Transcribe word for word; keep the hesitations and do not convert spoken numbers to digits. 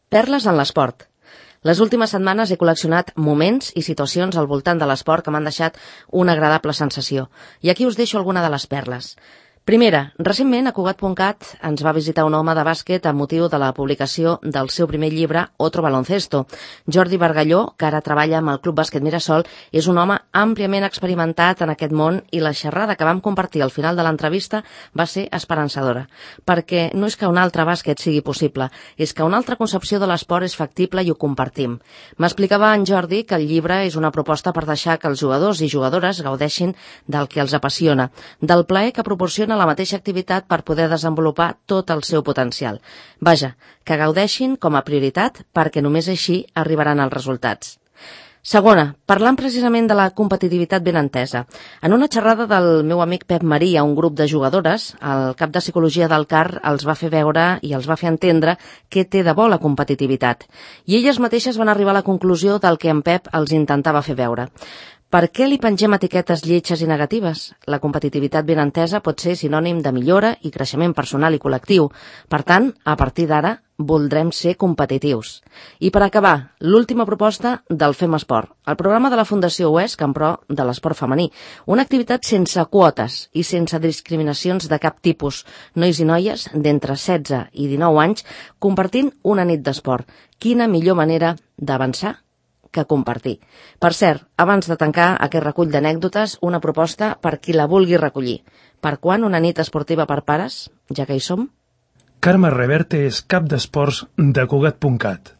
Perles en l'esport. Les últimes setmanes he col·leccionat moments i situacions al voltant de l'esport que m'han deixat una agradable sensació. I aquí us deixo alguna de les perles. Primera, recentment a Cugat punt cat ens va visitar un home de bàsquet amb motiu de la publicació del seu primer llibre Otro Baloncesto. Jordi Bargalló, que ara treballa amb el Club Bàsquet Mirasol, és un home àmpliament experimentat en aquest món i la xerrada que vam compartir al final de l'entrevista va ser esperançadora, perquè no és que un altre bàsquet sigui possible, és que una altra concepció de l'esport és factible i ho compartim. M'explicava en Jordi que el llibre és una proposta per deixar que els jugadors i jugadores gaudeixin del que els apassiona, del plaer que proporciona la mateixa activitat per poder desenvolupar tot el seu potencial. Vaja, que gaudeixin com a prioritat perquè només així arribaran els resultats. Segona, parlant precisament de la competitivitat ben entesa. En una xerrada del meu amic Pep Marí a un grup de jugadores, el cap de psicologia del C A R els va fer veure i els va fer entendre què té de bo la competitivitat. I elles mateixes van arribar a la conclusió del que en Pep els intentava fer veure. Per què li pengem etiquetes lletges i negatives? La competitivitat ben entesa pot ser sinònim de millora i creixement personal i col·lectiu. Per tant, a partir d'ara, voldrem ser competitius. I per acabar, l'última proposta del Fem Esport, el programa de la Fundació UESC en pro de l'esport femení. Una activitat sense quotes i sense discriminacions de cap tipus. Nois i noies d'entre setze i dinou anys compartint una nit d'esport. Quina millor manera d'avançar que compartir. Per cert, abans de tancar aquest recull d'anècdotes, una proposta per qui la vulgui recollir. Per quan una nit esportiva per pares, ja que hi som? Carme Reverte és cap d'esports de Cugat punt cat.